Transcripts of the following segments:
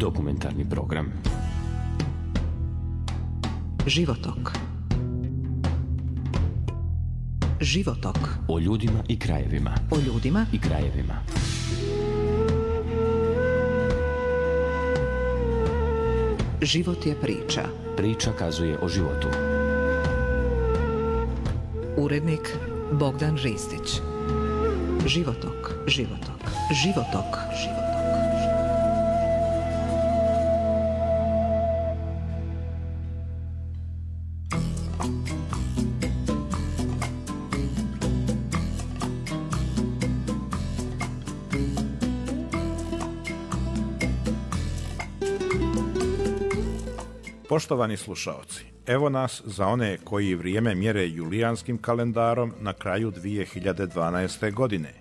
Dokumentarni program. Životok. Životok. O ljudima i krajevima. O ljudima i krajevima. Život je priča. Priča kazuje o životu. Urednik Bogdan Ristić. Životok. Životok. Životok. Životok. Poštovani slušaoci, evo nas za one koji vrijeme mjere julijanskim kalendarom na kraju 2012. godine.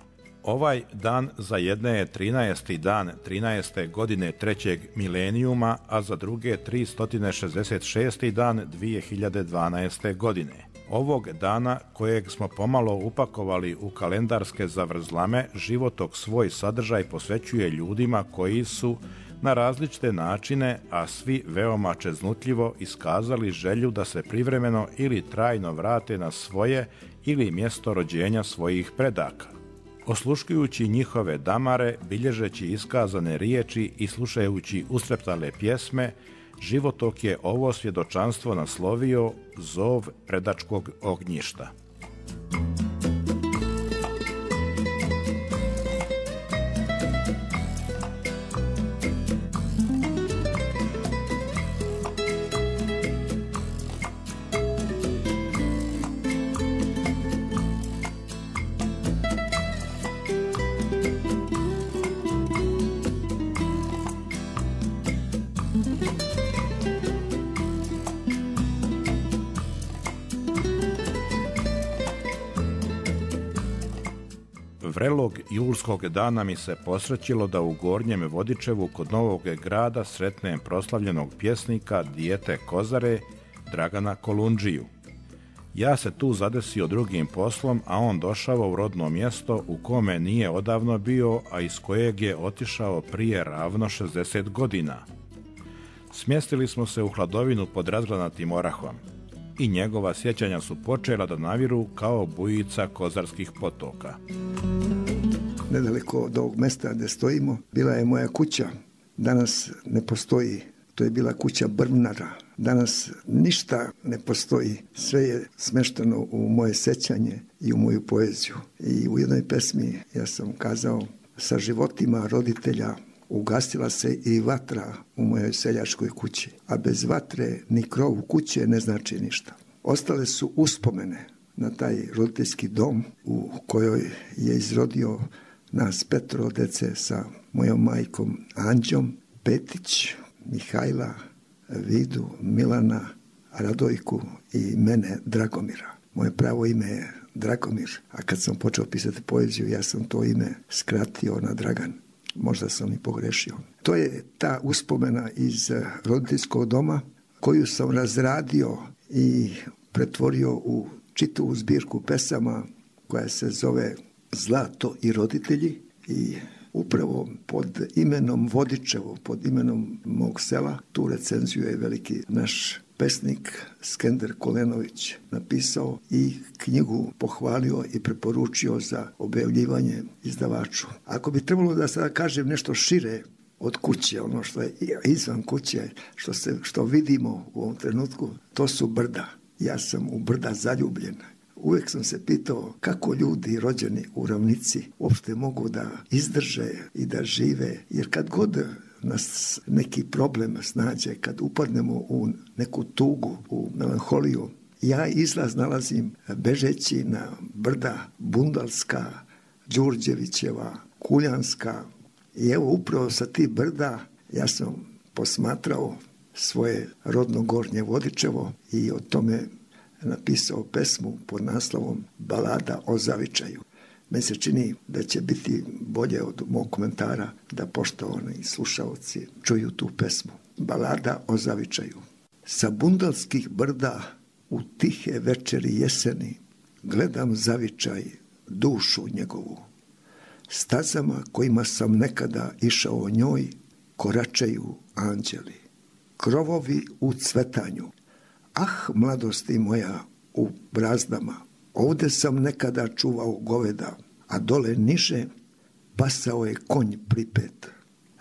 Ovaj dan za jedne je 13. dan 13. godine trećeg milenijuma, a za druge 366. dan 2012. godine. Ovog dana, kojeg smo pomalo upakovali u kalendarske zavrzlame, životok svoj sadržaj posvećuje ljudima koji su na različite načine, a svi veoma čeznutljivo iskazali želju da se privremeno ili trajno vrate na svoje ili mjesto rođenja svojih predaka. Osluškujući njihove damare, bilježeći iskazane riječi i slušajući ustreptale pjesme, životok je ovo svjedočanstvo naslovio Zov predačkog ognjišta. Vrelog julskog dana mi se posrećilo da u Gornjem Vodičevu kod Novog Grada sretnem proslavljenog pjesnika dijete Kozare Dragana Kolundžiju. Ja se tu zadesio drugim poslom, a on došao u rodno mjesto u kome nije odavno bio, a iz kojeg je otišao prije ravno 60 godina. Smjestili smo se u hladovinu pod razgranatim orahom i njegova sjećanja su počela da naviru kao bujica kozarskih potoka. Nedaleko od ovog mjesta gdje stojimo bila je moja kuća. Danas ne postoji. To je bila kuća Brvnara. Danas ništa ne postoji. Sve je smješteno u moje sjećanje i u moju poeziju. I u jednoj pesmi ja sam kazao: sa životima roditelja ugasila se i vatra u mojoj seljačkoj kući, a bez vatre ni krov kuće ne znači ništa. Ostale su uspomene na taj roditeljski dom u kojoj je izrodio nas 5 dece sa mojom majkom Anđom, Petić, Mihajla, Vidu, Milana, Radojku i mene Dragomira. Moje pravo ime je Dragomir, a kad sam počeo pisati poeziju ja sam to ime skratio na Dragan. Možda sam i pogrešio. To je ta uspomena iz roditeljskog doma koju sam razradio i pretvorio u čitavu zbirku pesama koja se zove Zlato i roditelji, i upravo pod imenom Vodičevo, pod imenom mog sela, tu recenziju je veliki naš pesnik Skender Kolenović napisao i knjigu pohvalio i preporučio za objavljivanje izdavaču. Ako bi trebalo da sada kažem nešto šire od kuće, ono što je izvan kuće, što vidimo u ovom trenutku, to su brda. Ja sam u brda zaljubljen. Uvijek sam se pitao kako ljudi rođeni u ravnici uopšte mogu da izdrže i da žive, jer kad god nas neki problem snađe, kad upadnemo u neku tugu, u melanholiju, ja izlaz nalazim bežeći na brda Bundalska, Đurđevićeva, Kuljanska, i evo upravo sa tih brda ja sam posmatrao svoje rodno Gornje Vodičevo i o tome napisao pesmu pod naslovom Balada o zavičaju. Meni se čini da će biti bolje od mog komentara da poštovani slušalci čuju tu pesmu. Balada o zavičaju. Sa bundalskih brda u tihe večeri jeseni gledam zavičaj, dušu njegovu. Stazama kojima sam nekada išao njoj, koračaju anđeli, krovovi u cvetanju. Ah, mladosti moja u brazdama, ovde sam nekada čuvao goveda, a dole niže pasao je konj pripet.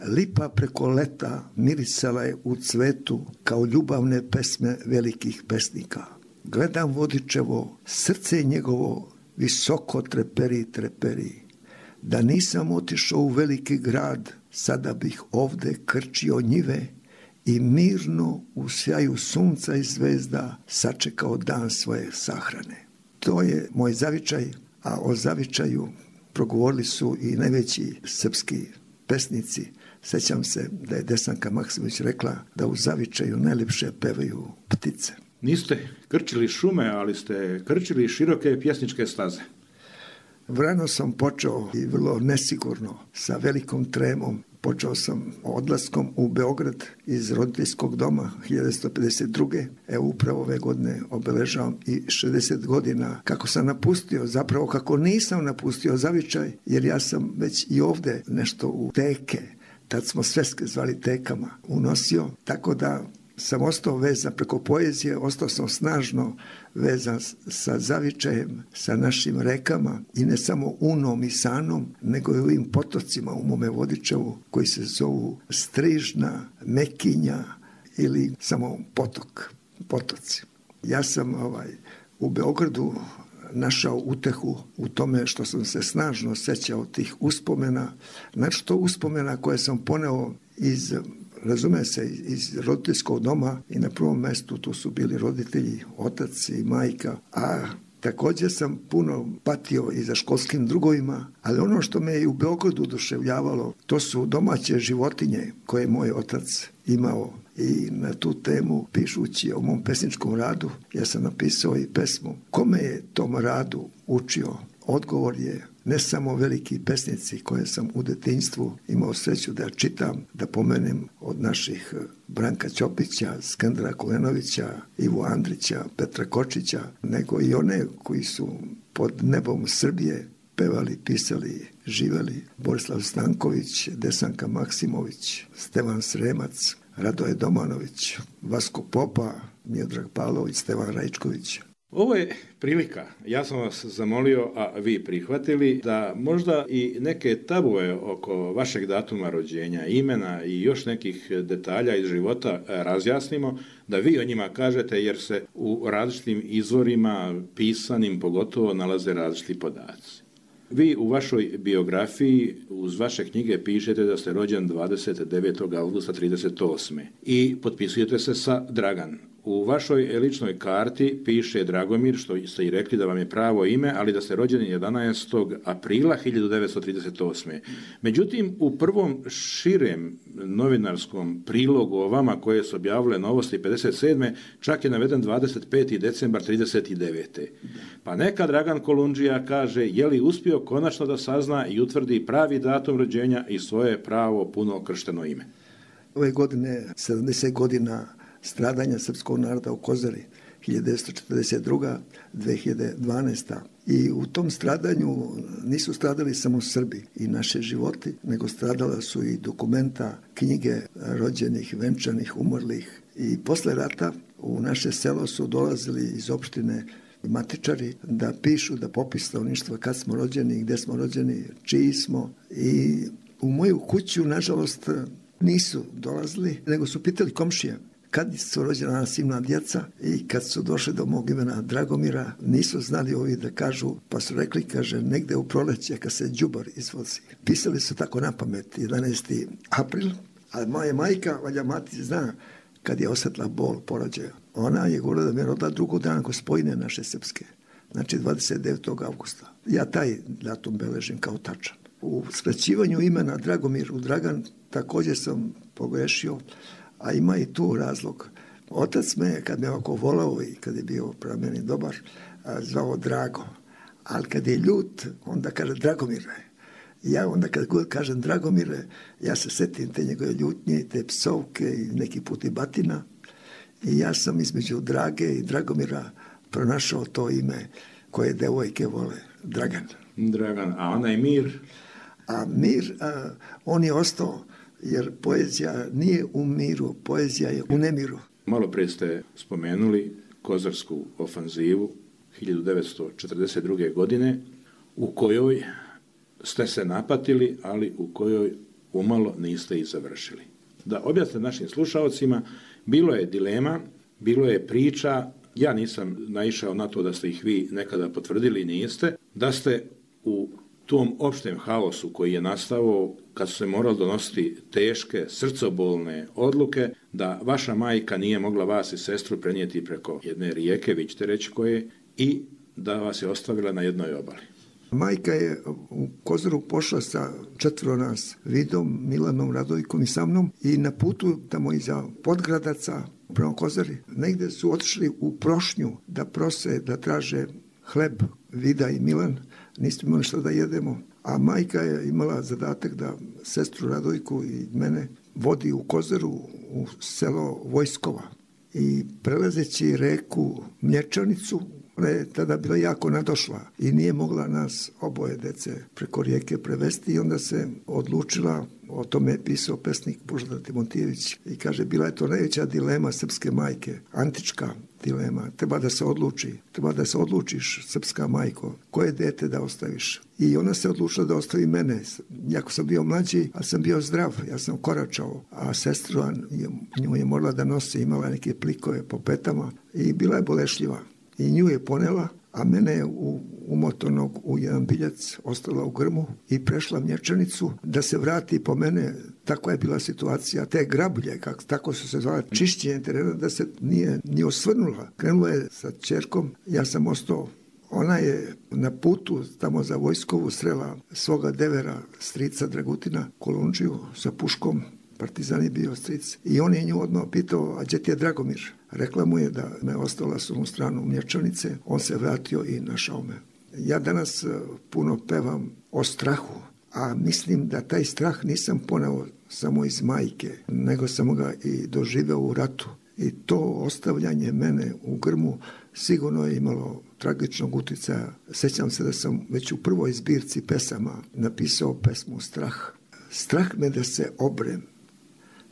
Lipa preko leta mirisala je u cvetu kao ljubavne pesme velikih pesnika. Gledam vodičevo, srce njegovo visoko treperi, treperi. Da nisam otišao u veliki grad, sada bih ovde krčio njive i mirno u sjaju sunca i zvezda sačekao dan svoje sahrane. To je moj zavičaj, a o zavičaju progovorili su i najveći srpski pesnici. Sećam se da je Desanka Maksimović rekla da u zavičaju najljepše pevaju ptice. Niste krčili šume, ali ste krčili široke pjesničke staze. Vrano sam počeo i vrlo nesigurno, sa velikom tremom. Počeo sam odlaskom u Beograd iz roditeljskog doma 1952. Evo upravo ove godine obeležavam i 60 godina kako sam napustio, zapravo kako nisam napustio zavičaj, jer ja sam već i ovde nešto u teke, tad smo sveske zvali tekama, unosio, tako da sam ostao vezan preko poezije, ostao sam snažno vezan sa zavičajem, sa našim rekama i ne samo Unom i Sanom, nego i ovim potocima u mome Vodičevu koji se zovu Strižna, Mekinja ili samo potoci. Ja sam u Beogradu našao utehu u tome što sam se snažno sećao tih uspomena, znači to uspomena koje sam poneo iz roditeljskog doma i na prvom mestu tu su bili roditelji, otac i majka, a također sam puno patio i za školskim drugovima, ali ono što me je u Beogradu oduševljavalo, to su domaće životinje koje je moj otac imao. I na tu temu, pišući o mom pesničkom radu, ja sam napisao i pesmu. Kome je tom radu učio? Odgovor je ne samo veliki pesnici koje sam u detinjstvu imao sreću da čitam, da pomenem od naših Branka Ćopića, Skandra Kolenovića, Ivu Andrića, Petra Kočića, nego i one koji su pod nebom Srbije pevali, pisali, živeli. Borislav Stanković, Desanka Maksimović, Stevan Sremac, Radoje Domanović, Vasko Popa, Miodrag Pavlović, Stevan Rajčković. Ovo je prilika, ja sam vas zamolio, a vi prihvatili, da možda i neke tabue oko vašeg datuma rođenja, imena i još nekih detalja iz života razjasnimo, da vi o njima kažete, jer se u različitim izvorima, pisanim pogotovo, nalaze različiti podaci. Vi u vašoj biografiji uz vaše knjige pišete da ste rođen 29. avgusta 1938. i potpisujete se sa Dragan. U vašoj ličnoj karti piše Dragomir, što ste i rekli da vam je pravo ime, ali da ste rođeni 11. aprila 1938. Međutim, u prvom širem novinarskom prilogu o vama koje su objavile Novosti 57. čak je naveden 25. decembar 39. Pa neka Dragan Kolundžija kaže je li uspio konačno da sazna i utvrdi pravi datum rođenja i svoje pravo puno kršteno ime. Ove godine 70 godina stradanja srpskog naroda u Kozari, 1942. 2012. I u tom stradanju nisu stradali samo Srbi i naše životi, nego stradala su i dokumenta, knjige rođenih, venčanih, umrlih. I posle rata u naše selo su dolazili iz opštine matičari da pišu, da popis stanovništva kad smo rođeni, gde smo rođeni, čiji smo. I u moju kuću, nažalost, nisu dolazili, nego su pitali komšije kad su rođena silna djeca i kad su došli do mog imena Dragomira, nisu znali ovi da kažu, pa su rekli, kaže, negde u proleće kad se đubar izvozi. Pisali su tako na pamet, 11. april, a moja majka, valja mati zna, kad je osjetila bol porođaja. Ona je govorila da mi je rodila drugo dan Gospojine naše srpske, znači 29. avgusta. Ja taj datum beležim kao tačan. U skraćivanju imena Dragomir u Dragan također sam pogrešio, a ima i tu razlog. Otac me, kad me ovako volao i kad je bio prema meni dobar, zvao Drago. Ali kad je ljut, onda kaže Dragomire. Ja onda kad god kažem Dragomire, ja se setim te njegove ljutnje, te psovke i neki put i batina. I ja sam između Drage i Dragomira pronašao to ime koje devojke vole, Dragan. Dragan, a onaj Mir? A Mir, on je ostao jer poezija nije u miru, poezija je u nemiru. Malo prije ste spomenuli Kozarsku ofanzivu 1942. godine u kojoj ste se napatili, ali u kojoj umalo niste i završili. Da objasnite našim slušalcima, bilo je dilema, bilo je priča, ja nisam naišao na to da ste ih vi nekada potvrdili, niste, da ste u tom opštem haosu koji je nastao kad su se morali donositi teške, srcobolne odluke, da vaša majka nije mogla vas i sestru prenijeti preko jedne rijeke, vi ćete reći koje, i da vas je ostavila na jednoj obali. Majka je u Kozaru pošla sa 4 nas, Vidom, Milanom, Radojkom i sa mnom, i na putu tamo iza Podgradaca prema Kozari, negde su otišli u Prošnju da prose, da traže hleb. Vida i Milan, nismo imali što da jedemo, a majka je imala zadatak da sestru Radojku i mene vodi u Kozaru, u selo Vojskova. I prelazeći reku Mlječanicu, ona je tada bila jako nadošla i nije mogla nas oboje dece preko rijeke prevesti, i onda se odlučila, o tome je pisao pesnik Božidar Timotijević, i kaže, bila je to najveća dilema srpske majke, antička dilema, treba da se odlučiš, srpska majko, koje dete da ostaviš. I ona se odlučila da ostavi mene, jako sam bio mlađi, ali sam bio zdrav, ja sam koračao, a sestra nju je morala da nosi, imala neke plikove po petama i bila je bolešljiva. I nju je ponela, a mene je umotanog u jedan biljac ostala u grmu i prešla Mlječanicu da se vrati po mene. Takva je bila situacija. Te grablje, tako su se zvala, čišćenje terena, da se nije ni osvrnula. Krenula je sa ćerkom, ja sam ostao. Ona je na putu tamo za Vojskovu srela svoga devera, strica Dragutina Kolundžiju sa puškom. Partizan je bio stric. I on je nju odmah pitao, a gdje ti je Dragomir? Rekla mu je da me ostala s ovom stranu Mlječanice. On se vratio i našao me. Ja danas puno pevam o strahu, a mislim da taj strah nisam poneo samo iz majke, nego sam ga i doživeo u ratu. I to ostavljanje mene u grmu sigurno je imalo tragičnog utjecaja. Sjećam se da sam već u prvoj zbirci pesama napisao pesmu Strah. Strah me da se obrem.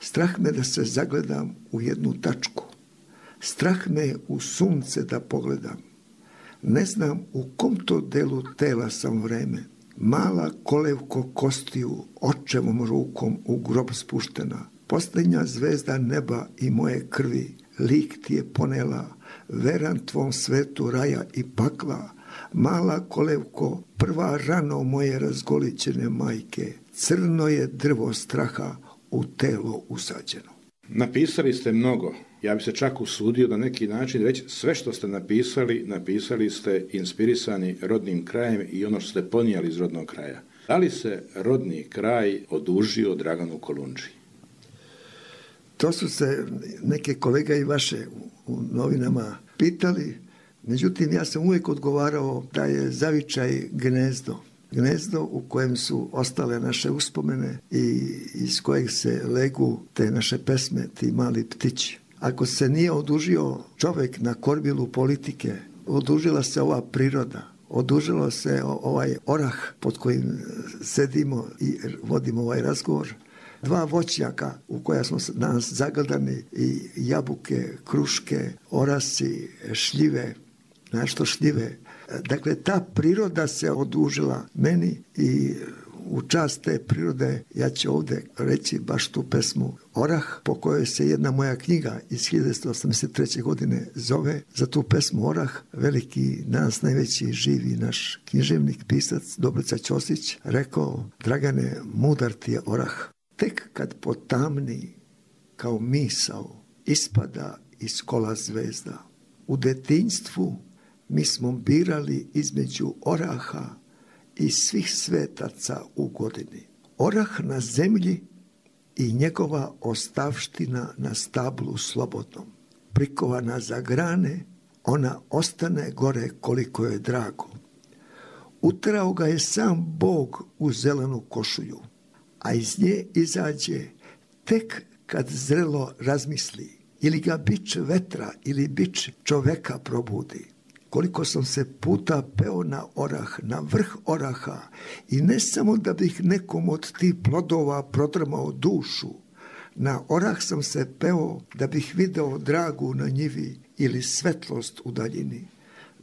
Strah me da se zagledam u jednu tačku. Strah me u sunce da pogledam. Ne znam u kom to delu tela sam vreme. Mala kolevko kostiju, očevom rukom u grob spuštena. Posljednja zvezda neba i moje krvi, lik ti je ponela, veran tvom svetu raja i pakla. Mala kolevko, prva rano moje razgolićene majke, crno je drvo straha u telo usađeno. Napisali ste mnogo. Ja bi se čak usudio na neki način reći, sve što ste napisali ste inspirisani rodnim krajem i ono što ste ponijeli iz rodnog kraja. Da li se rodni kraj odužio Draganu Kolundži? To su se neke kolega i vaše u novinama pitali, međutim ja sam uvijek odgovarao da je zavičaj gnezdo u kojem su ostale naše uspomene i iz kojeg se legu te naše pesme, ti mali ptići. Ako se nije odužio čovjek na kormilu politike, odužila se ova priroda, odužilo se ovaj orah pod kojim sedimo i vodimo ovaj razgovor. 2 voćnjaka u koja smo danas zagledani, i jabuke, kruške, orasi, šljive, nešto šljive. Dakle, ta priroda se odužila meni i u čast te prirode ja ću ovdje reći baš tu pesmu Orah, po kojoj se jedna moja knjiga iz 1983. godine zove. Za tu pesmu Orah veliki, danas najveći živi naš književnik, pisac Dobrica Ćosić rekao: Dragane, mudar ti je orah. Tek kad potamni kao misao ispada iz kola zvezda. U detinjstvu mi smo birali između oraha i svih svetaca u godini. Orah na zemlji i njegova ostavština na stablu slobodnom. Prikovana za grane, ona ostane gore koliko je drago. Utrao ga je sam Bog u zelenu košulju, a iz nje izađe tek kad zrelo razmisli, ili ga bič vetra ili bič čoveka probudi. koliko sam se puta peo na orah, na vrh oraha, i ne samo da bih nekom od tih plodova prodrmao dušu. Na orah sam se peo da bih video dragu na njivi ili svetlost u daljini.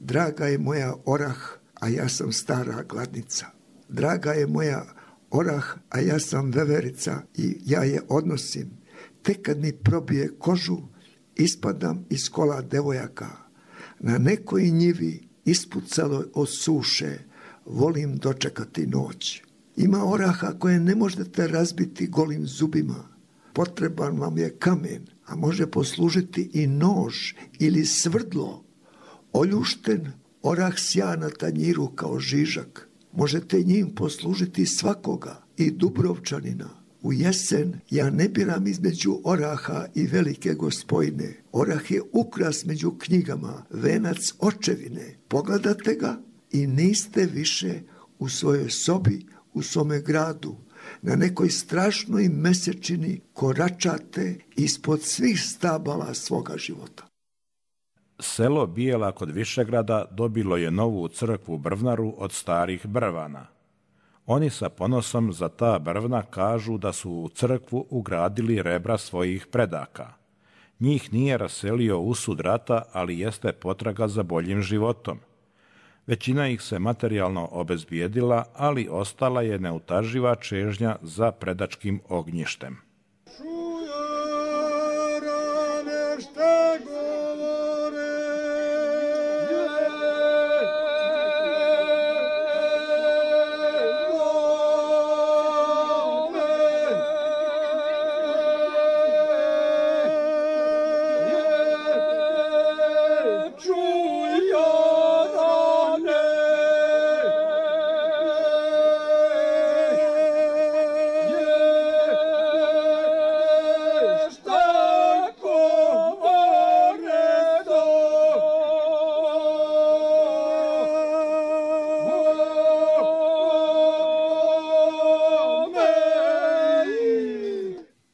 Draga je moja orah, a ja sam stara gladnica. Draga je moja orah, a ja sam veverica i ja je odnosim. Tek kad mi probije kožu, ispadam iz kola devojaka. Na nekoj njivi ispucalo od suše, volim dočekati noć. Ima oraha koje ne možete razbiti golim zubima. Potreban vam je kamen, a može poslužiti i nož ili svrdlo. Oljušten orah sja na tanjiru kao žižak. Možete njim poslužiti svakoga, i Dubrovčanina. U jesen ja ne biram između oraha i velike gospojne. Orah je ukras među knjigama, venac očevine. Pogledate ga i niste više u svojoj sobi, u svome gradu. Na nekoj strašnoj mesečini koračate ispod svih stabala svoga života. Selo Bijela kod Višegrada dobilo je novu crkvu brvnaru od starih brvana. Oni sa ponosom za ta brvna kažu da su u crkvu ugradili rebra svojih predaka. Njih nije raselio usud rata, ali jeste potraga za boljim životom. Većina ih se materijalno obezbijedila, ali ostala je neutaživa čežnja za predačkim ognjištem.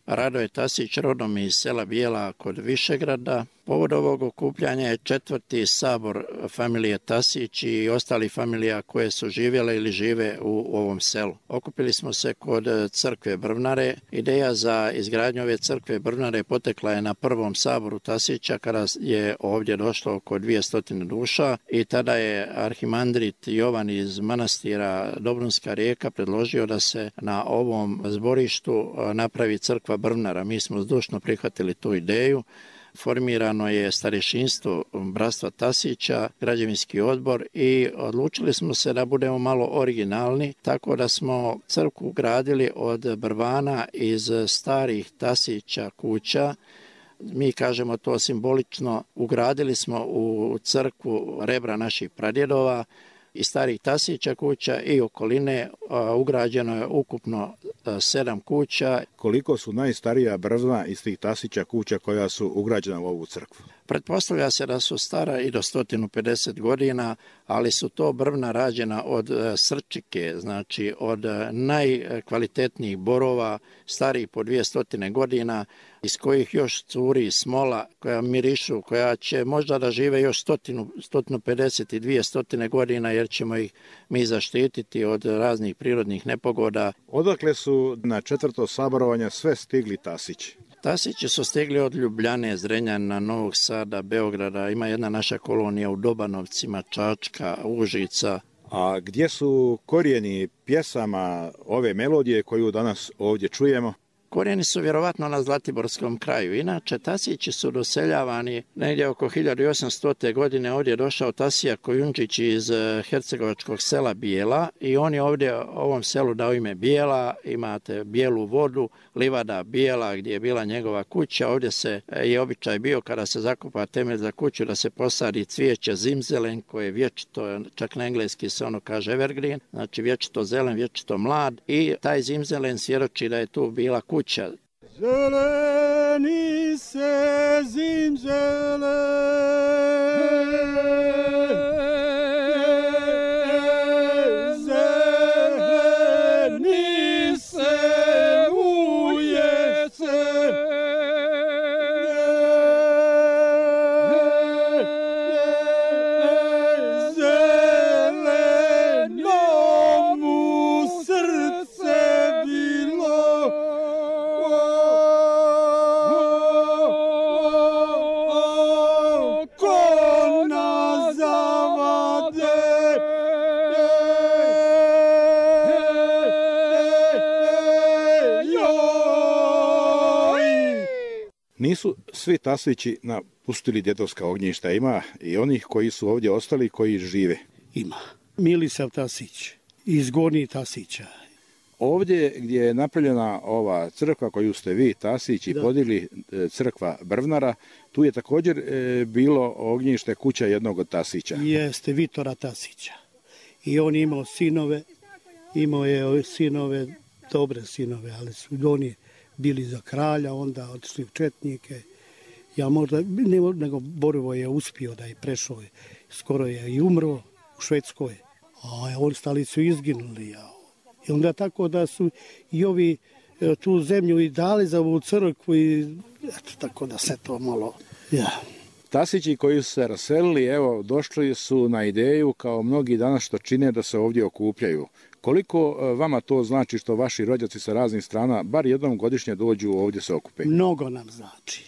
Radoje Tasić, rodom iz sela Bijela kod Višegrada. Povod ovog okupljanja je 4. sabor familije Tasić i ostali familija koje su živjele ili žive u ovom selu. Okupili smo se kod crkve Brvnare. Ideja za izgradnju ove crkve Brvnare potekla je na 1. saboru Tasića kada je ovdje došlo oko 200 duša i tada je arhimandrit Jovan iz manastira Dobrunska Rijeka predložio da se na ovom zborištu napravi crkva Brvnara. Mi smo zdušno prihvatili tu ideju. Formirano je starješinstvo bratstva Tasića, građevinski odbor i odlučili smo se da budemo malo originalni, tako da smo crkvu gradili od brvana iz starih Tasića kuća. Mi kažemo to simbolično, ugradili smo u crkvu rebra naših pradjedova i starih Tasića kuća i okoline. Ugrađeno je ukupno 7 kuća. Koliko su najstarija brvna iz tih Tasića kuća koja su ugrađena u ovu crkvu? Pretpostavlja se da su stara i do 150 godina, ali su to brvna rađena od srčike, znači od najkvalitetnijih borova, starih po 200 godina, iz kojih još curi smola koja mirišu, koja će možda da žive još 150 i 200 godina, jer ćemo ih mi zaštititi od raznih prirodnih nepogoda. Odakle su na 4. saborovanje sve stigli Tasići? Tasići su stigli od Ljubljane, Zrenjanina, Novog Sada, Beograda. Ima jedna naša kolonija u Dobanovcima, Čačka, Užica. A gdje su korijeni pjesama ove melodije koju danas ovdje čujemo? Korijeni su vjerovatno na Zlatiborskom kraju. Inače, Tasići su doseljavani negdje oko 1800. godine. Ovdje je došao Tasija Kojundžić iz hercegovačkog sela Bijela i on je ovdje ovom selu dao ime Bijela. Imate bijelu vodu, livada Bijela gdje je bila njegova kuća. Ovdje se je običaj bio kada se zakopa temelj za kuću da se posadi cvijeće zimzelen koje je vječito, čak na engleski se ono kaže evergreen, znači vječito zelen, vječito mlad i taj zimzelen svjedoči da je tu bila kuća. Zeleni se zimzele, zeleni se ujece, Nisu svi Tasići napustili djedovska ognjišta, ima i onih koji su ovdje ostali, koji žive. Ima. Milisav Tasić, iz Gornjih Tasića. Ovdje gdje je napravljena ova crkva koju ste vi, Tasići, podigli, crkva Brvnara, tu je također bilo ognjište, kuća jednog od Tasića. Jeste, Vitora Tasića. I on je imao je sinove, dobre sinove, ali su oni bili za kralja, onda otišli u četnike. Ja možda, nego Borovo je uspio da je prešao, skoro je i umro u Švedskoj, a ostali su izginuli. I onda tako da su i ovi tu zemlju i dali za ovu crkvu i eto, tako da se to malo... Ja. Tasići koji su se raselili, evo, došli su na ideju, kao mnogi danas što čine, da se ovdje okupljaju. Koliko vama to znači što vaši rođaci sa raznih strana bar jednom godišnje dođu ovdje se okupe? Mnogo nam znači.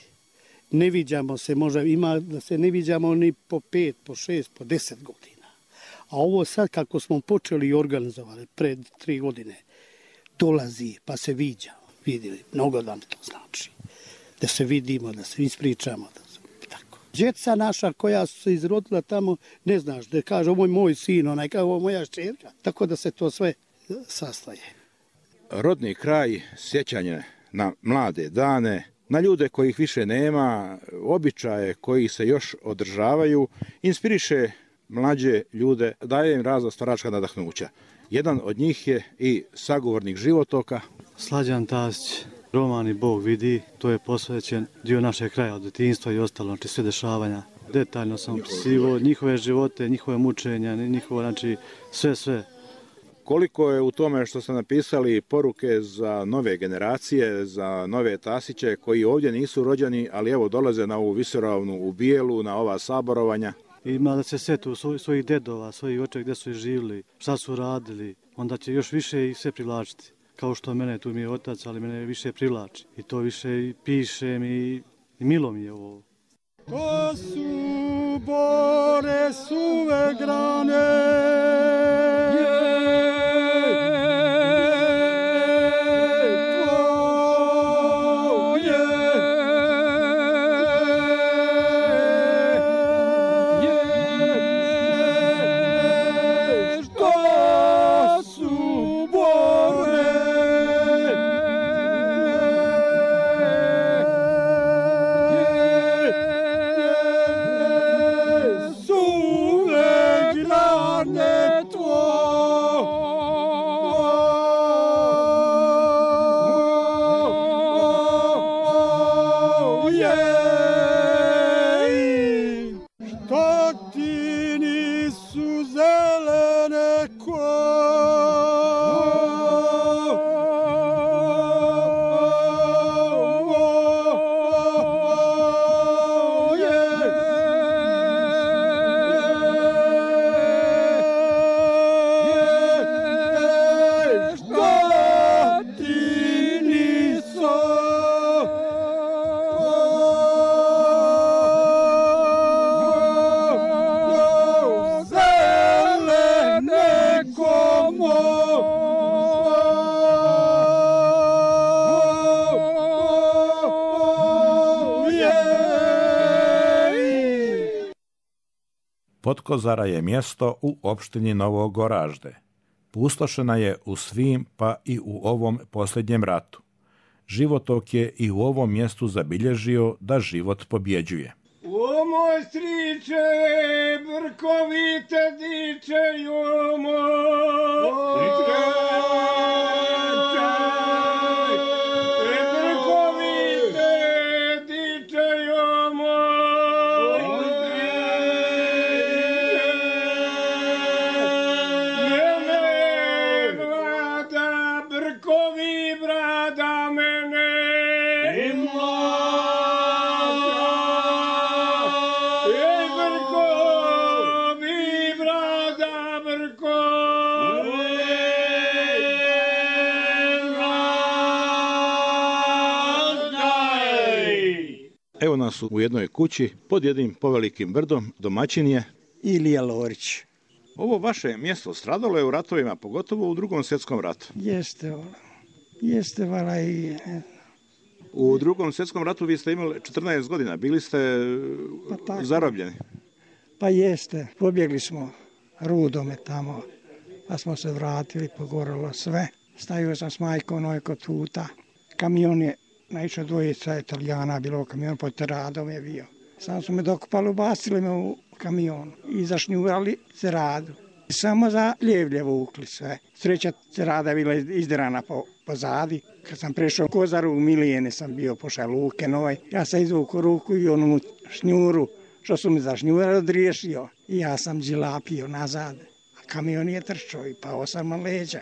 Ne viđamo se, možda ima da se ne viđamo ni po 5, po 6, po 10 godina. A ovo sad kako smo počeli i organizovali pred 3 godine, dolazi pa se viđamo, vidjeli, mnogo nam to znači. Da se vidimo, da se ispričamo, tako. Djeca naša koja su se izrodila tamo, ne znaš, da kaže ovo je moj sin, onaj kao ovo moja šćerka, tako da se to sve sastaje. Rodni kraj, sjećanje na mlade dane, na ljude kojih više nema, običaje koji se još održavaju, inspiriše mlađe ljude, daje im razna staračka nadahnuća. Jedan od njih je i sagovornik Životoka. Slađan Tasić, roman i Bog vidi, to je posvećen dio našeg kraja od djetinjstva i ostalo, znači sve dešavanja. Detaljno sam opisivao njihove živote, njihove mučenja, njihovo, znači sve. Koliko je u tome što ste napisali poruke za nove generacije, za nove Tasiće koji ovdje nisu rođeni, ali evo dolaze na ovu Visoravnu u Bijelu, na ova saborovanja? Ima da se setu svojih dedova, svojih očeva gdje su živjeli, šta su radili, onda će još više ih sve privlačiti. Kao što mene, tu mi je otac, ali mene više privlači. I to više i pišem i milo mi je ovo. To su bore suve grane, Potkozara je mjesto u opštini Novo Goražde. Pustošena je u svim, pa i u ovom posljednjem ratu. Životok je i u ovom mjestu zabilježio da život pobjeđuje. O moj striče, brkovite diče, o moj Evo nas u jednoj kući pod jednim povelikim brdom, domaćin je Ilija Lorić. Ovo vaše mjesto stradalo je u ratovima, pogotovo u Drugom svjetskom ratu. Jeste vala i U Drugom svjetskom ratu vi ste imali 14 godina, bili ste zarobljeni. Pa jeste, pobjegli smo Rudome tamo, pa smo se vratili, pogorelo sve. Stavio sam s majkom nojko tuta. Kamion je naišao, dvojica Italijana, bilo u kamionu, pod Teradom je bio. Sam su me dokupali, ubacili me u kamion i zašnjurali Ceradu. Samo za Pljevlje vukli sve. Sreća Cerada je bila izdirana pozadi. Kad sam prešao Kozaru, u Milijene sam bio pošao luke noj. Ja sam izvukao ruku i onu šnjuru, što su mi zašnjurali, odriješio. I ja sam džilapio nazad. A kamion je trčao i pao sam na leđa.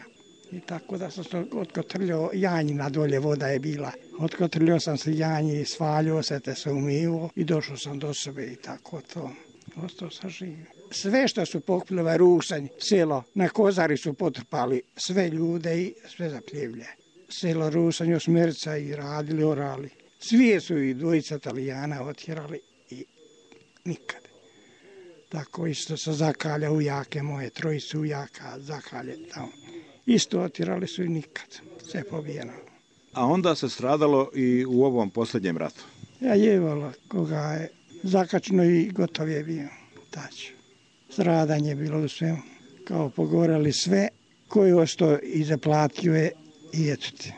I tako da sam se otkotrljao, janjina dolje voda je bila. Otkotrljao sam se janji i svaljio se, te se umivo i došao sam do sebe i tako to. Ostao sam živio. Sve što su pokupili, Rusanj, selo, na Kozari su potrpali sve ljude i sve za Pljevlje. Selo Rusanj, Osmerica i radili, orali. Svi su i dvojica Italijana otjerali i nikad. Tako isto sa Zakalja ujake moje, trojice ujaka Zakalje tamo. Isto otjerali su i nikad. Sve pobijeno. A onda se stradalo i u ovom posljednjem ratu? Ja jevalo koga je zakačeno i gotov je bio. Tač. Stradanje je bilo u svemu. Kao pogoreli sve. Koji ostao i zaplatio je i etute.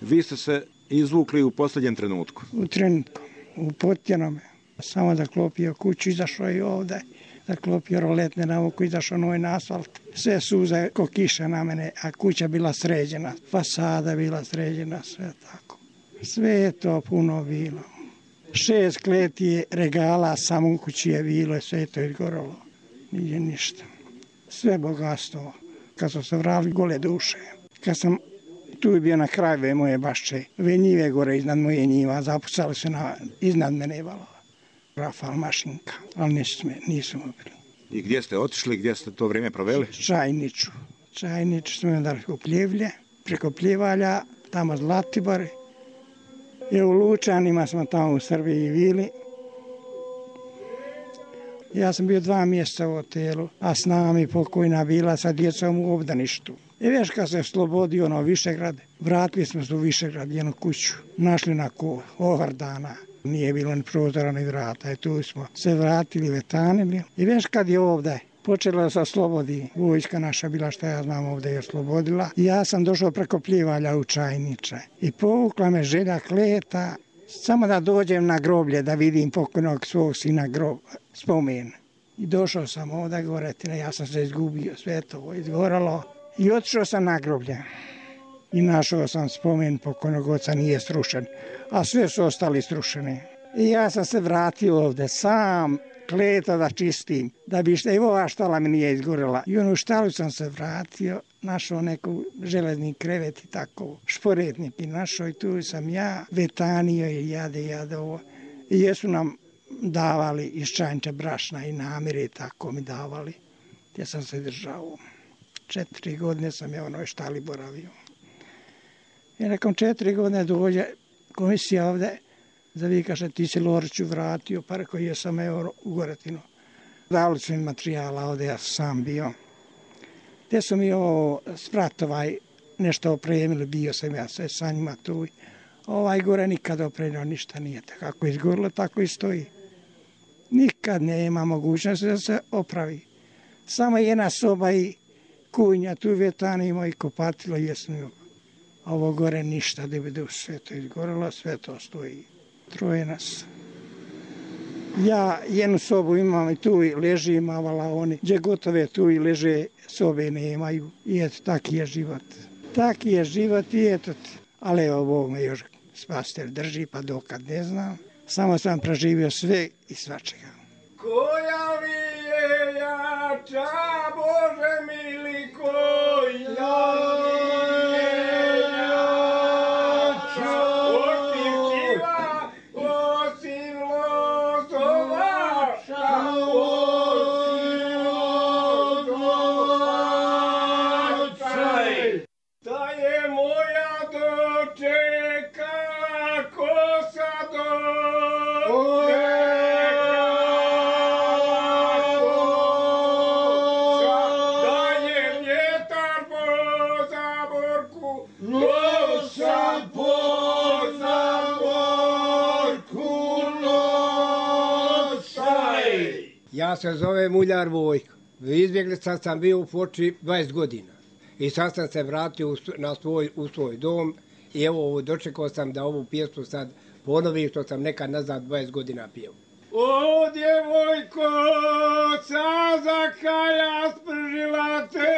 Vi ste se izvukli u posljednjem trenutku? U trenutku. U potjenome. Samo da klopio kuću, izašao i ovdje. Da klopio roletne nauku, izašao noj na asfalt. Sve suze ko kiša na mene, a kuća bila sređena. Fasada bila sređena, sve tako. Sve je to puno bilo. 6 kleti regala samo u kući je bilo, sve je to izgoralo. Nije ništa. Sve bogatstvo. Kad sam se vratili, gole duše. Kad sam tu bio na kraju moje bašče, ove njive gore iznad moje njiva, zapucali se iznad mene valova. Rafal mašinka, ali nisu bili. I gdje ste otišli, gdje ste to vrijeme proveli? Čajniču. Čajniču smo onda u Pljevlje, preko Pljevalja, tamo Zlatibor. I u Lučanima smo tamo u Srbiji bili. Ja sam bio 2 mjeseca u hotelu, a s nami pokojna bila sa djecom u obdaništu. I već kad se slobodio Višegrad, vratili smo se u Višegrad, jednu kuću, našli na Ovardana. Nije bilo ni prozora ni vrata i tu smo se vratili, vetanili. I već kad je ovdje počela da se oslobodi, vojska naša bila, što ja znam, ovdje je oslobodila. I ja sam došao preko Pljevalja u Čajniče i povukla me želja kleta, samo da dođem na groblje, da vidim pokojnog svog sina spomen. I došao sam ovdje gore, ja sam se izgubio, sve to izgoralo. I otišao sam na groblje. I našao sam spomen pokojnog oca, nije srušen, a sve su ostali srušeni. I ja sam se vratio ovdje sam, kleto da čistim, da bi i ova štala mi nije izgorela. I onu štalu sam se vratio, našao neku železni krevet i tako, šporetnik i našao i tu sam ja, vetanio i jade ovo. I jesu nam davali iz Čajniče brašna i namire i tako mi davali. Ja sam se držao. 4 godine sam ja u onoj štali boravio. I nakon 4 godine dođe komisija ovdje, zavikaše ti si Loriću vratio, pa rekao jesam evo u Goretinu. Dali su mi materijala ovdje, ja sam bio. Te su mi ovo spratovaj nešto opremili, bio sam ja sve sa njima tu. Ovaj gore nikad opremio, ništa nije. Kako izgorilo, tako i stoji. Nikad nema mogućnosti da se opravi. Samo jedna soba i kujnja, tu vetanimo i kopatilo jesmo. Ovo gore ništa, da bi sve to izgorelo, sve to stoji. 3 nas. Ja jednu sobu imam i tu ležim, a oni gdje gotove tu i leže, sobe nemaju. I eto, taki je život. Taki je život i eto. Ali evo, Bog me još spasitelj drži, pa dokad ne znam. Samo sam preživio sve i svačega. Koja li je jača, Bože mili, koja li je jača, osim čiva, osim lozovača, osim lozovača, da je moja dočeka, kosa dočeka. Da je Ja se zovem Muljar Vojko. Izbjeglica sam bio u Foči 20 godina. I sad sam se vratio u svoj dom i evo dočekao sam da ovu pjesmu sad ponovim što sam nekad nazad 20 godina pio. O djevojko, sa zakalja spržila te,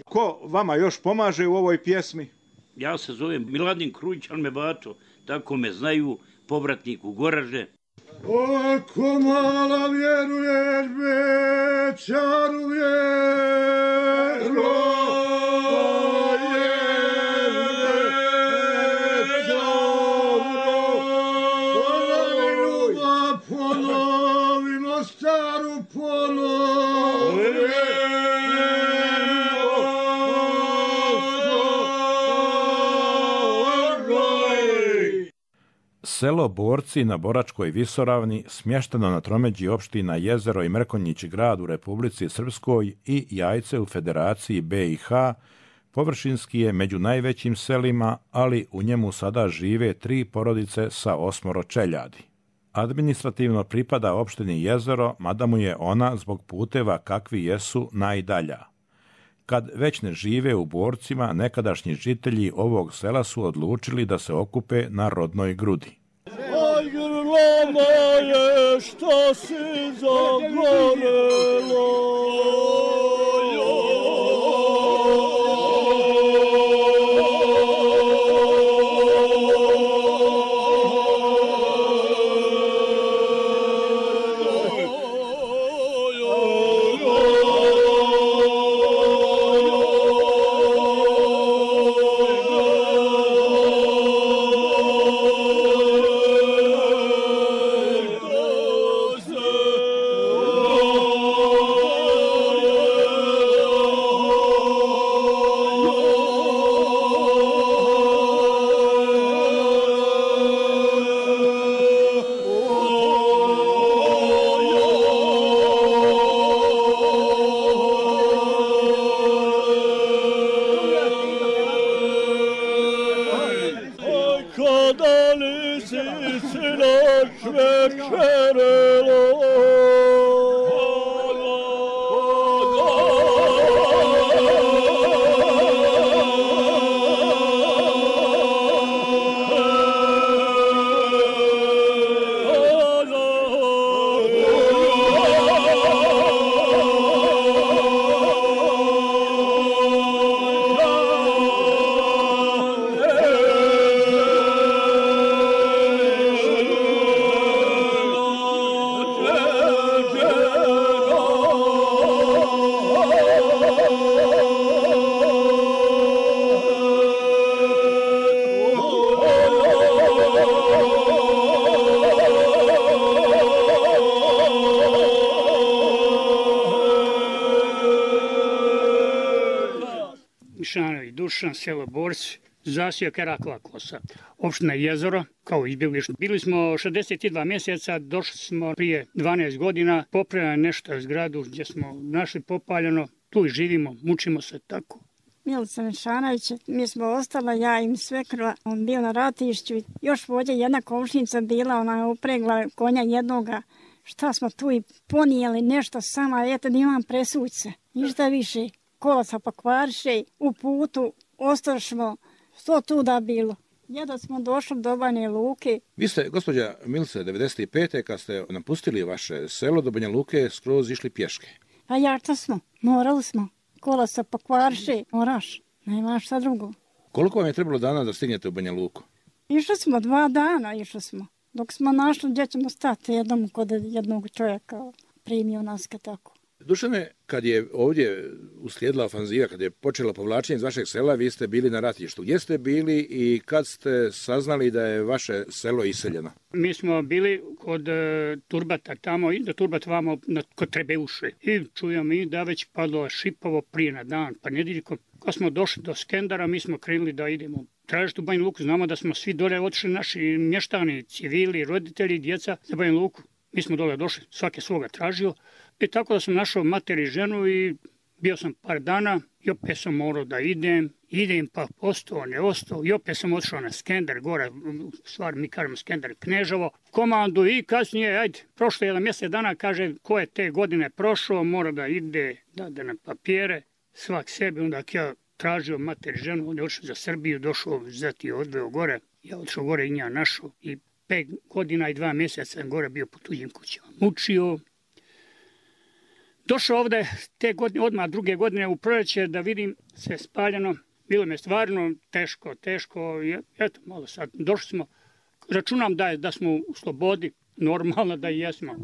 Ko vama još pomaže u ovoj pjesmi? Ja se zovem Miladin Krujić, ali me bato, tako me znaju, povratnik u Goraže. Ako mala vjeruješ, Bečaru vjeru, ponovimo staru Selo Borci na Boračkoj visoravni, smješteno na tromeđi opština Jezero i Mrkonjići grad u Republici Srpskoj i Jajce u Federaciji BiH, površinski je među najvećim selima, ali u njemu sada žive 3 porodice sa 8 čeljadi. Administrativno pripada opštini Jezero, mada mu je ona zbog puteva kakvi jesu najdalja. Kad već ne žive u Borcima, nekadašnji žitelji ovog sela su odlučili da se okupe na rodnoj grudi. Aj, grlama je što si zagorelo. Dušan, selo Borci, zasio Kerakova kosa. Opština Jezero, kao izbjeglište. Bili smo 62 mjeseca, došli smo prije 12 godina, popravljali nešto zgradu gdje smo našli popaljeno, tu i živimo, mučimo se tako. Milica Mešanović, mi smo ostala, ja im svekrva, on bio na ratišću. Još ovdje jedna komšnica bila, ona je upregla konja jednoga. Šta smo tu i ponijeli nešto sama, eto da imam presuće, ništa više. Kolaca pokvariše, u putu ostašmo, što tu da bilo. Jedno smo došli do Banja Luke. Vi ste, gospođa Milice, 95. kad ste napustili vaše selo do Banja Luke, skroz išli pješke. Pa jača smo, morali smo. Kolaca pokvariše, moraš, nema šta drugo. Koliko vam je trebalo dana da stignete u Banja Luku? Išli smo 2 dana, išli smo. Dok smo našli gdje ćemo stati jednom kod jednog čovjeka, primio nas kad tako. Dušane, kad je ovdje uslijedila ofanziva, kad je počelo povlačenje iz vašeg sela, vi ste bili na ratištu. Gdje ste bili i kad ste saznali da je vaše selo iseljeno? Mi smo bili kod Turbata tamo i do Turbata vamo kod Trebeuše. I čujemo mi da već padlo Šipovo prije na dan, pa nedeljkom. Kad smo došli do Skendara, mi smo krenuli da idemo tražiti u Banja Luku. Znamo da smo svi dole otišli, naši mještani, civili, roditelji, djeca za Banja Luku. Mi smo dole došli, svake svoga tražio. I tako da sam našao materi ženu i bio sam par dana i opet sam morao da idem pa ostao, ne ostao i opet sam otišao na Skender, gore, stvar mi kažemo Skender, Kneževo, komandu i kasnije, ajde, prošlo jedan mjesec dana, kaže, ko je te godine prošao, mora da ide, da na papire, svak sebi, onda ja tražio materi ženu, on je otišao za Srbiju, došao, zati odveo gore, ja otišao gore i nja našao i 5 godina i 2 mjeseca sam gore bio po tuđim kućama, mučio. Došao ovdje te godine, odmah druge godine u proljeće da vidim sve spaljeno. Bilo mi je stvarno teško. Eto, malo sad, došli smo. Računam da smo u slobodi, normalno da i jesmo.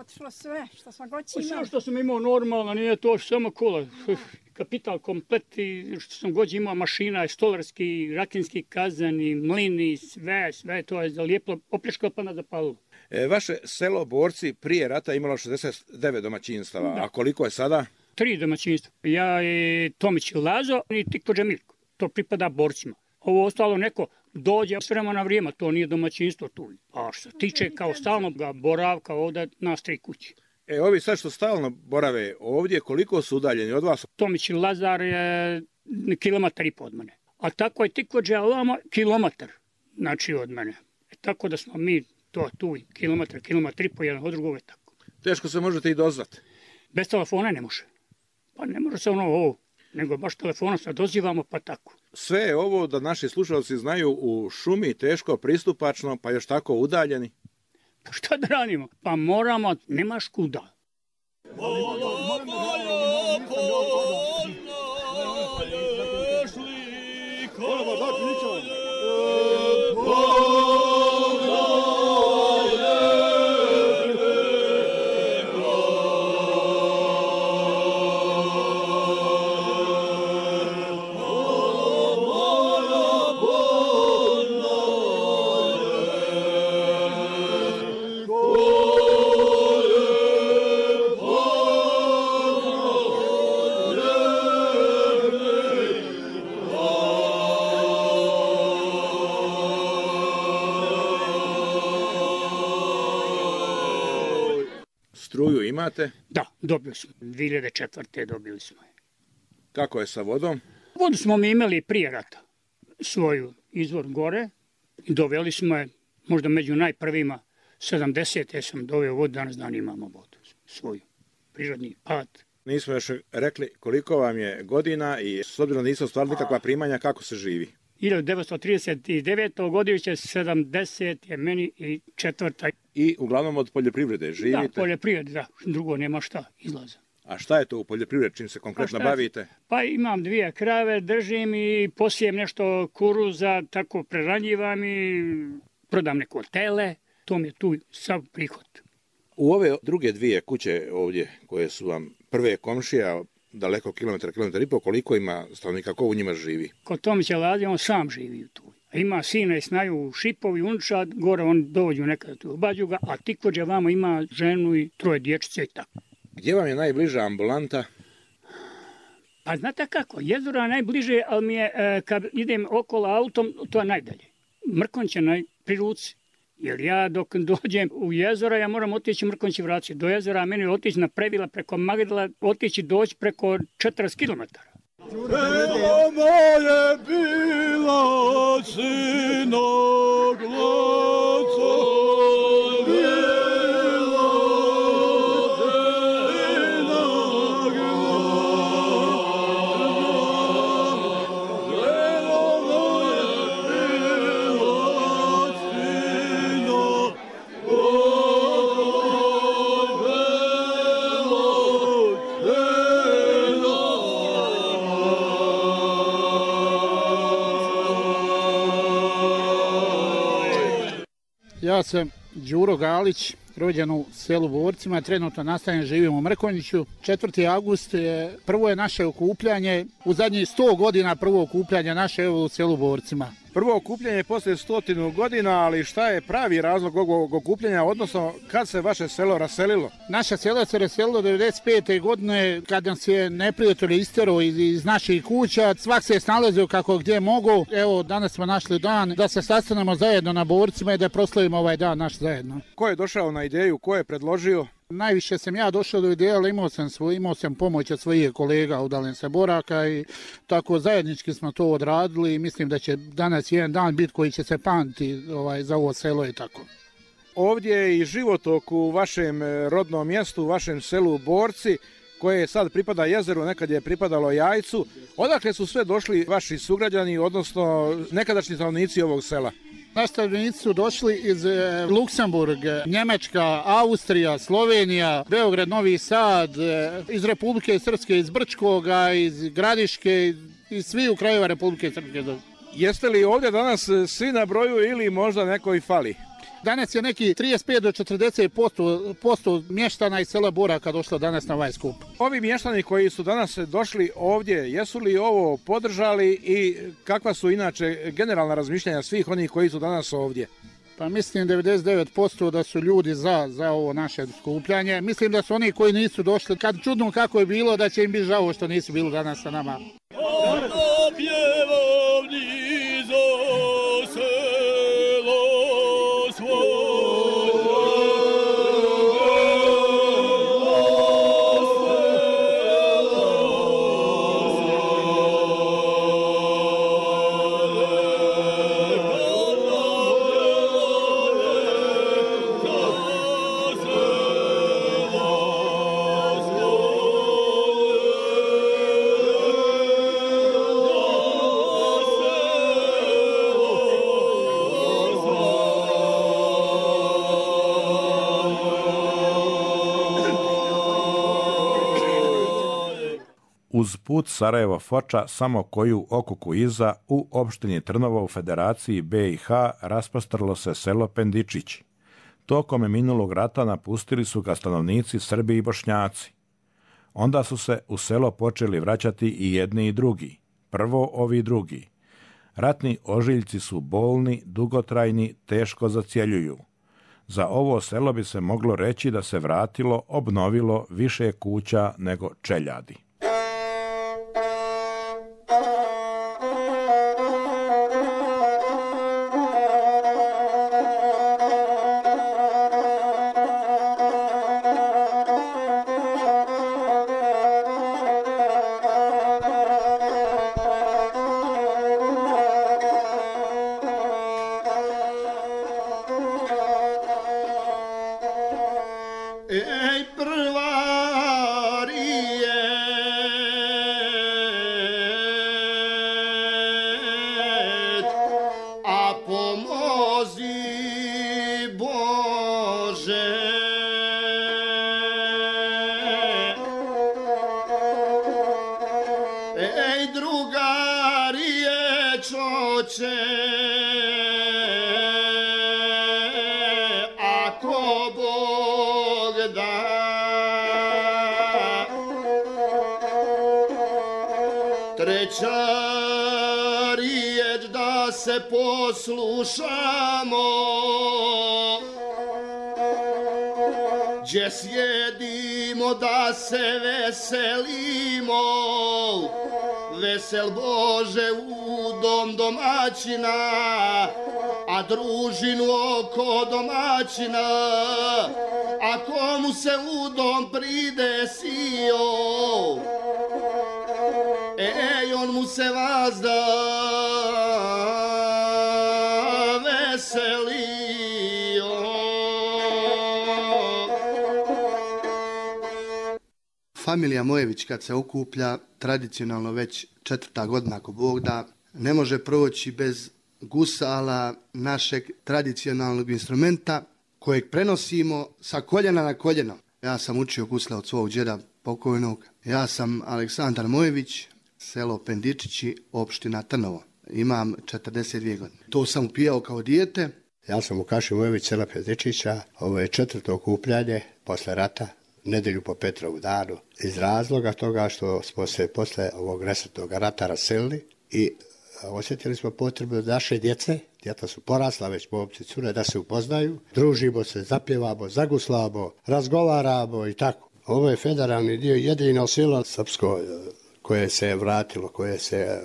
Otišlo sve što smo god imali. Sve što sam imao normalno, nije to samo kola. Kapital komplet i što sam god imao mašina, stolarski, rakinski kazani, mlini, sve to je zalijepilo, opljačkalo pa nas zapalilo. Vaše selo Borci prije rata imalo 69 domaćinstava, a koliko je sada? 3 domaćinstva. Ja i Tomić i Lazo i Tikvođa Mirko. To pripada Borcima. Ovo ostalo neko dođe s vremena na vrijeme, to nije domaćinstvo tu. A što se tiče kao stalnog boravka ovdje nas 3 kući. Ovi sad što stalno borave ovdje, koliko su udaljeni od vas? Tomić i Lazar je 1,5 kilometar od mene. A tako je Tikvođa ovamo kilometar, znači od mene. Tako da smo mi to tu kilometar i po jedan od drugog je tako. Teško se možete i dozvati? Bez telefona ne može. Pa ne može se ovo, nego baš telefonom se dozivamo pa tako. Sve je ovo, da naši slušalci znaju, u šumi, teško, pristupačno, pa još tako udaljeni. Pa šta da radimo? Pa moramo, nemaš kuda. Struju imate? Da, dobili smo. 2004. dobili smo je. Kako je sa vodom? Vodu smo mi imali prije rata. Svoju izvor gore i doveli smo je, možda među najprvima, 70. sam doveo vodu, danas dan imamo vodu svoju. Prirodni pad. Nismo još rekli koliko vam je godina i s obzirom da niste ostvarili nikakva primanja, kako se živi? 1939. godište, 70 je meni i 4. I uglavnom od poljoprivrede živite? Da, poljoprivrede, da. Drugo nema šta, izlaza. A šta je to u poljoprivredi, čim se konkretno bavite? Pa imam 2 krave, držim i posijem nešto kuruza, tako preranjivam i prodam neko tele. To mi je tu sav prihod. U ove druge 2 kuće ovdje, koje su vam prve komšija, daleko kilometar i pol, koliko ima stanovnika, ko u njima živi? Kod Tomića Lazi, on sam živi tu. Ima sina i snaju u Šipovi, Unčad, gore on dođu nekada tu, obađu ga, a Tikvođa vamo ima ženu i 3 dječice i tako. Gdje vam je najbliža ambulanta? Pa znate kako, Jezora je najbliže, ali mi je, kad idem okolo autom, to je najdalje. Mrkonć je pri ruci. Jer ja dok dođem u Jezora, ja moram otići Mrkonć i vratiti do Jezora, a meni otići na Previla preko Magdala, otići doći preko 40 km. Bilo moje bila sinog glaca, bilo sinog Ja sam Đuro Galić, rođen u selu Borcima, trenutno nastajem, živim u Mrkonjiću. 4. avgust prvo je naše okupljanje, u zadnjih 100 godina prvo okupljanje naše u selu Borcima. prvo okupljanje poslije 100 godina, ali šta je pravi razlog ovog okupljanja, odnosno kad se vaše selo raselilo? Naše selo se raselilo 95. godine kad nas je neprijatelj isterao iz naših kuća. Svak se je snalazio kako gdje mogu. Evo, danas smo našli dan da se sastanemo zajedno na Borcima i da proslavimo ovaj dan naš zajedno. Ko je došao na ideju, ko je predložio? Najviše sam ja došao do ideje, ali imao sam pomoć od svojih kolega udaljen sa Boraka i tako zajednički smo to odradili i mislim da će danas jedan dan biti koji će se pamtiti za ovo selo i tako. Ovdje je i životok u vašem rodnom mjestu, u vašem selu Borci, koje sad pripada jezeru, nekad je pripadalo Jajcu. Odakle su sve došli vaši sugrađani, odnosno nekadašnji stanovnici ovog sela? Naši stanovnici su došli iz Luksemburg, Njemačka, Austrija, Slovenija, Beograd, Novi Sad, iz Republike Srpske, iz Brčkoga, iz Gradiške, iz svih krajeva Republike Srpske. Jeste li ovdje danas svi na broju ili možda neko i fali? Danas je neki 35 do 40% mještana iz sela Boraka došlo danas na ovaj skup. Ovi mještani koji su danas došli ovdje, jesu li ovo podržali i kakva su inače generalna razmišljanja svih onih koji su danas ovdje? Pa mislim 99% da su ljudi za ovo naše skupljanje. Mislim da su oni koji nisu došli, kad čudno kako je bilo, da će im biti žao što nisu bili danas sa nama. Uz put Sarajevo-Foča samo koju okuku iza u opštini Trnovo u Federaciji BiH rasprostrlo se selo Pendičići. Tokom minulog rata napustili su ga stanovnici Srbi i Bošnjaci. Onda su se u selo počeli vraćati i jedni i drugi. Prvo ovi drugi. Ratni ožiljci su bolni, dugotrajni, teško zacjeljuju. Za ovo selo bi se moglo reći da se vratilo, obnovilo više kuća nego čeljadi. Treća riječ da se poslušamo, gdje sjedimo da se veselimo, vesel Bože u dom domaćina, a družinu oko domaćina, a komu se u dom pridesio, on mu se vazda veselio. Familija Mojević kad se okuplja, tradicionalno već 4. godina ako Bog da, ne može proći bez gusala, našeg tradicionalnog instrumenta kojeg prenosimo sa koljena na koljeno. Ja sam učio gusle od svog džeda pokojnog. Ja sam Aleksandar Mojević, selo Pendičići, opština Trnovo. Imam 42 godine. To sam upijao kao dijete. Ja sam Vukašin Mojević, sela Pendičića. Ovo je 4. okupljanje posle rata, nedelju po Petrovu danu. Iz razloga toga što smo se posle ovog nesretnog rata raselili i osjetili smo potrebu da naše djeca su porasla, već momci cure, da se upoznaju, družimo se, zapjevamo, zaguslamo, razgovaramo i tako. Ovo je federalni dio, jedino selo srpsko koje se je vratilo, koje se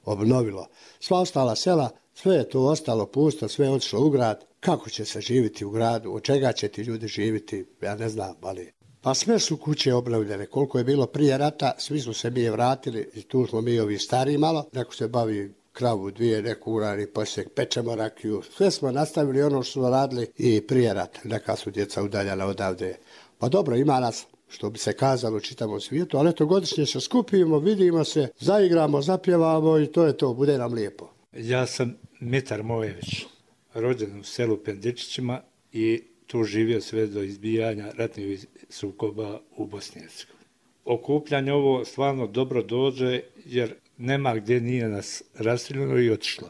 obnovilo. Sva ostala sela, sve je to ostalo pusto, sve je otišlo u grad. Kako će se živjeti u gradu, od čega će ti ljudi živjeti, ja ne znam, ali... Pa sve su kuće obnovljene, koliko je bilo prije rata, svi su se mi vratili i tu smo mi ovi stariji malo, neko se bavi kravu, dvije, neko urani posjek, pečemo rakiju, sve smo nastavili ono što smo radili i prije rata, neka su djeca udaljala odavde. Pa dobro, ima nas, što bi se kazalo u čitavom svijetu, ali eto godišnje se skupimo, vidimo se, zaigramo, zapjevamo i to je to, bude nam lijepo. Ja sam Mitar Mojević, rođen u selu Pendičićima i tu živio sve do izbijanja ratnih sukoba u Bosni i Hercegovini. Okupljanje ovo stvarno dobro dođe jer nema gdje nije nas raseljeno i otišlo.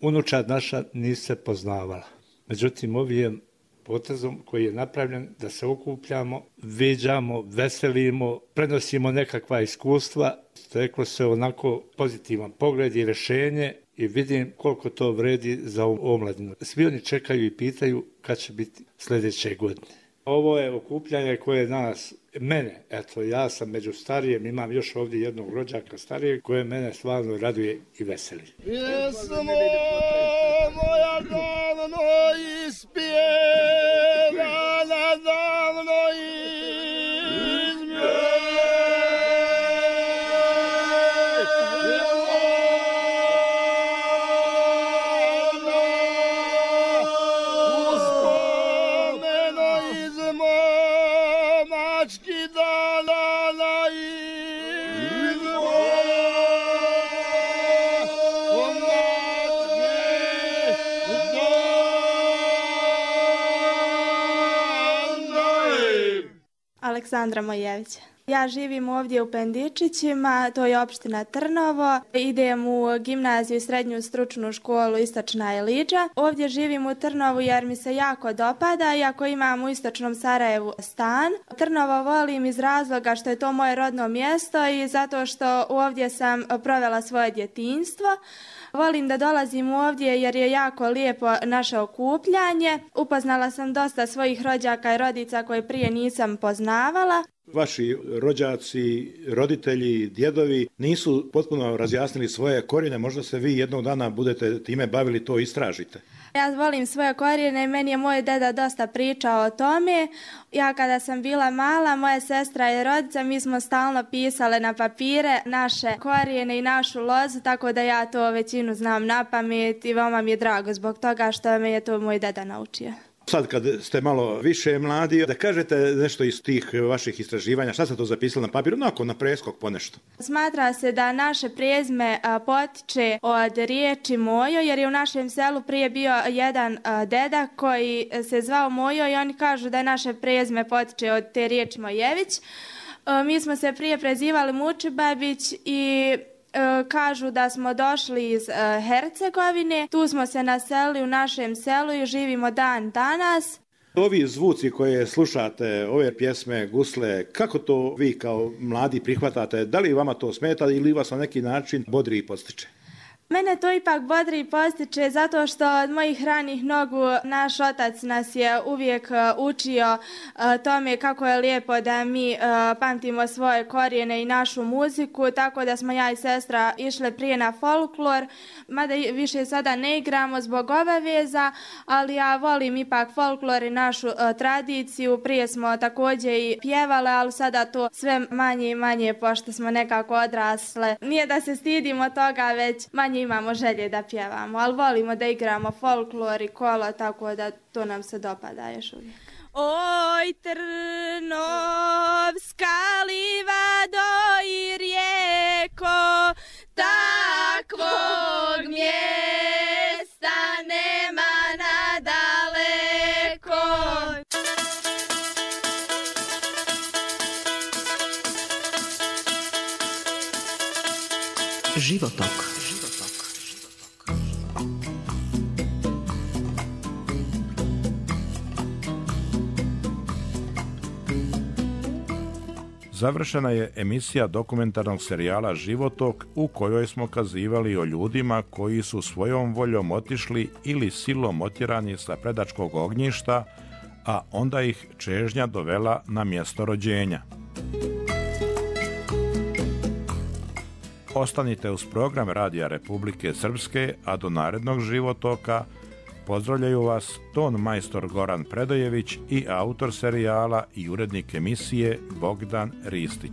Unučad naša nije se poznavala. Međutim, ovim potezom koji je napravljen da se okupljamo, viđamo, veselimo, prenosimo nekakva iskustva, steklo se onako pozitivan pogled i rješenje i vidim koliko to vredi za omladinu. Svi oni čekaju i pitaju kad će biti sljedeće godine. Ovo je okupljanje koje mene, eto ja sam među starijem, imam još ovdje jednog rođaka starijeg koje mene stvarno raduje i veseli. Pjesmo moja davno ispjevana, davno Aleksandra Mojević. Ja živim ovdje u Pendičićima, to je opština Trnovo. Idem u gimnaziju i srednju stručnu školu Istočna Eliđa. Ovdje živim u Trnovu jer mi se jako dopada, iako imam u Istočnom Sarajevu stan. Trnovo volim iz razloga što je to moje rodno mjesto i zato što ovdje sam provela svoje djetinjstvo. Volim da dolazim ovdje jer je jako lijepo naše okupljanje. Upoznala sam dosta svojih rođaka i rodica koje prije nisam poznavala. Vaši rođaci, roditelji, djedovi nisu potpuno razjasnili svoje korijene, možda se vi jednog dana budete time bavili, to istražite. Ja volim svoje korijene i meni je moj deda dosta pričao o tome. Ja kada sam bila mala, moja sestra i rodica, mi smo stalno pisale na papire naše korijene i našu lozu, tako da ja to većinu znam na pamet i veoma mi je drago zbog toga što me je to moj deda naučio. Sad kad ste malo više mladi, da kažete nešto iz tih vaših istraživanja, šta ste to zapisali na papiru, onako na preskok ponešto? Smatra se da naše prezime potiče od riječi Mojo, jer je u našem selu prije bio jedan deda koji se zvao Mojo i oni kažu da je naše prezime potiče od te riječi Mojević. Mi smo se prije prezivali Mučibabić i kažu da smo došli iz Hercegovine, tu smo se naselili u našem selu i živimo dan danas. Ovi zvuci koje slušate, ove pjesme, gusle, kako to vi kao mladi prihvatate? Da li vama to smeta ili vas na neki način bodri i podstiče? Mene to ipak bodri i podstiče zato što od mojih ranih nogu naš otac nas je uvijek učio tome kako je lijepo da mi pamtimo svoje korijene i našu muziku, tako da smo ja i sestra išle prije na folklor, mada više sada ne igramo zbog obaveza, ali ja volim ipak folklor i našu tradiciju. Prije smo također i pjevale, ali sada to sve manje i manje pošto smo nekako odrasle. Nije da se stidimo toga, već manje imamo želje da pjevamo, ali volimo da igramo folklor i kolo, tako da to nam se dopada još uvijek. Oj, Trnovska livado i rijeko, takvog mjesta nema nadaleko. Životok. Završena je emisija dokumentarnog serijala Životok u kojoj smo kazivali o ljudima koji su svojom voljom otišli ili silom otjerani sa predačkog ognjišta, a onda ih čežnja dovela na mjesto rođenja. Ostanite uz program Radija Republike Srpske, a do narednog Životoka pozdravljaju vas ton majstor Goran Predojević i autor serijala i urednik emisije Bogdan Ristić.